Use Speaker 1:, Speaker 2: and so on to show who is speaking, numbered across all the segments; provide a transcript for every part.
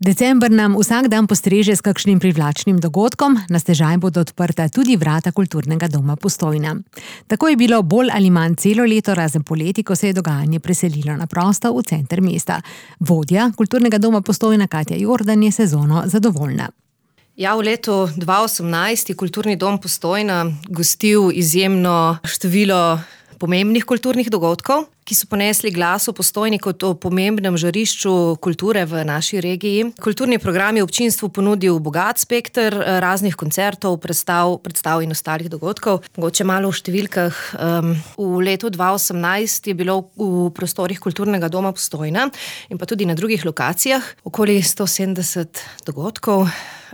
Speaker 1: December nam vsak dan postreže s kakšnim privlačnim dogodkom, na stežaj bodo odprta tudi vrata Kulturnega doma Postojna. Tako je bilo bolj ali manj celo leto, razen poleti, ko se je dogajanje preselilo na prosto v center mesta. Vodja Kulturnega doma Postojna Katja Jordan je sezono zadovoljna.
Speaker 2: Ja, v letu 2018 je Kulturni dom Postojna gostil izjemno število pomembnih kulturnih dogodkov, ki so ponesli glas o Postojni kot o pomembnem žarišču kulture v naši regiji. Kulturni program je občinstvu ponudil bogat spekter raznih koncertov, predstav in ostalih dogodkov. Mogoče malo v številkah. V letu 2018 je bilo v prostorih Kulturnega doma Postojna in pa tudi na drugih lokacijah okoli 170 dogodkov,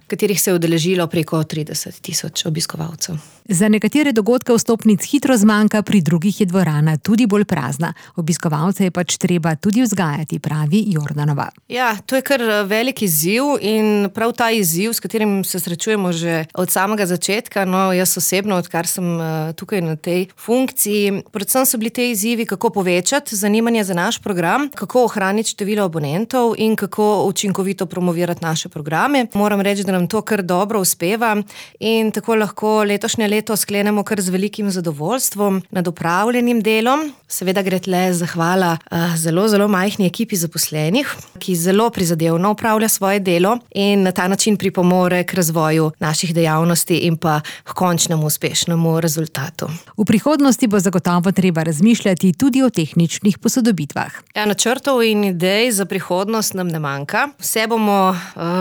Speaker 2: katerih se je udeležilo preko 30,000 obiskovalcev.
Speaker 1: Za nekatere dogodke vstopnic hitro zmanjka, pri drugih je dvorana tudi bolj prazna. Obiskovalce je pač treba tudi vzgajati, pravi Jordanova.
Speaker 2: Ja, to je kar velik izziv in prav ta izziv, s katerim se srečujemo že od samega začetka, jaz osebno, odkar sem tukaj na tej funkciji, predvsem so bili te izzivi, kako povečati zanimanje za naš program, kako ohraniti število abonentov in kako učinkovito promovirati naše programe. Moram reči, da nam to kar dobro uspeva in tako lahko letošnje leto sklenemo kar z velikim zadovoljstvom nad opravljenim delom. Seveda gre tle zahvala zelo majhni ekipi zaposlenih, ki zelo prizadevno opravlja svoje delo in na ta način pripomore k razvoju naših dejavnosti in pa k končnemu uspešnemu rezultatu.
Speaker 1: V prihodnosti bo zagotovo treba razmišljati tudi o tehničnih posodobitvah.
Speaker 2: Ja, načrtov in idej za prihodnost nam ne manjka. Vse bomo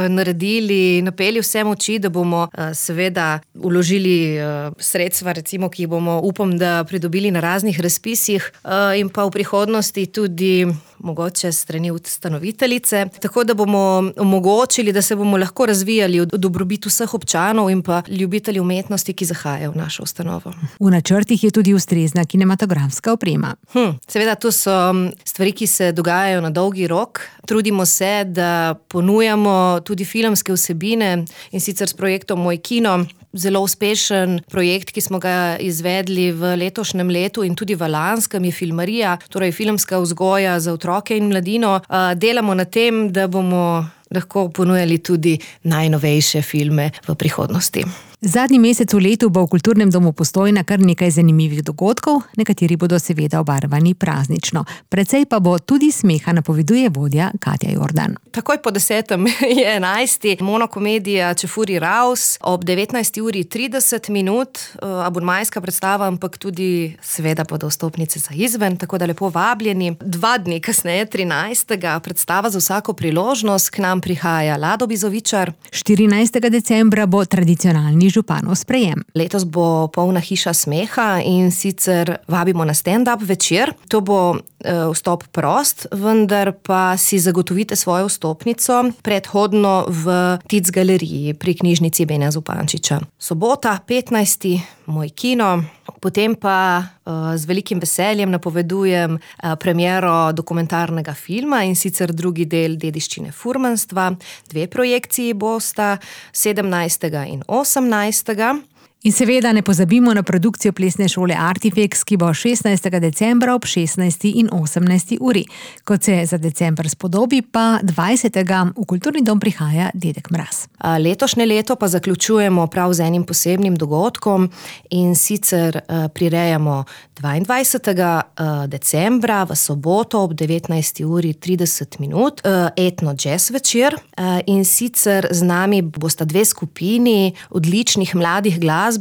Speaker 2: naredili, napeli vse moči, da bomo seveda vložili sredstva, recimo, ki bomo, upam, da pridobili na raznih razpisih in pa v prihodnosti tudi mogoče strani ustanoviteljice, tako da bomo omogočili, da se bomo lahko razvijali v dobrobit vseh občanov in pa ljubitelji umetnosti, ki zahajajo v našo ustanovo.
Speaker 1: V načrtih je tudi ustrezna kinematografska oprema.
Speaker 2: Seveda, to so stvari, ki se dogajajo na dolgi rok. Trudimo se, da ponujamo tudi filmske vsebine in sicer s projektom Moj kino. Zelo uspešen projekt, ki smo ga izvedli v letošnjem letu in tudi v lanskem, je Filmarija, torej filmska vzgoja za otroke in mladino. Delamo na tem, da bomo lahko ponujali tudi najnovejše filme v prihodnosti.
Speaker 1: Zadnji mesec v letu bo v Kulturnem domu Postojna kar nekaj zanimivih dogodkov, nekateri bodo seveda obarvani praznično. Precej pa bo tudi smeha, napoveduje vodja Katja Jordan.
Speaker 2: Takoj po 10. je 11. monokomedija Čefuri Raus ob 19:30, abonmajska predstava, ampak tudi seveda bodo vstopnice za izven, tako da lepo vabljeni. 2 dni kasneje, 13. predstava za vsako priložnost, k nam prihaja Lado Bizovičar.
Speaker 1: 14. decembra bo tradicionalni županov sprejem.
Speaker 2: Letos bo polna hiša smeha in sicer vabimo na stand-up večer. To bo vstop prost, vendar pa si zagotovite svojo vstopnico predhodno v Tic galeriji pri knjižnici Benja Zupančiča. Sobota, 15. Moj kino. Potem pa z velikim veseljem napovedujem premiero dokumentarnega filma in sicer drugi del Dediščine furmanstva. 2 projekciji bosta, 17. in 18.
Speaker 1: In seveda ne pozabimo na produkcijo plesne šole Artifex, ki bo 16. decembra ob 16. in 18. uri. Kot se za december spodobi, pa 20. v Kulturni dom prihaja Dedek Mraz.
Speaker 2: Letošnje leto pa zaključujemo prav z enim posebnim dogodkom in sicer prirejamo 22. decembra v soboto ob 19:30 etno jazz večer in sicer z nami bosta 2 skupini odličnih mladih glasbenikov.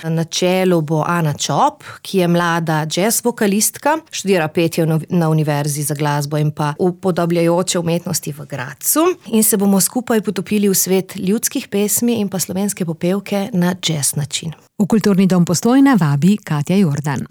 Speaker 2: Na čelu bo Ana Čop, ki je mlada jazz vokalistka, študira petje na Univerzi za glasbo in pa upodabljajoče umetnosti v Gradcu in se bomo skupaj potopili v svet ljudskih pesmi in pa slovenske popevke na jazz način.
Speaker 1: V Kulturni dom Postojna vabi Katja Jordan.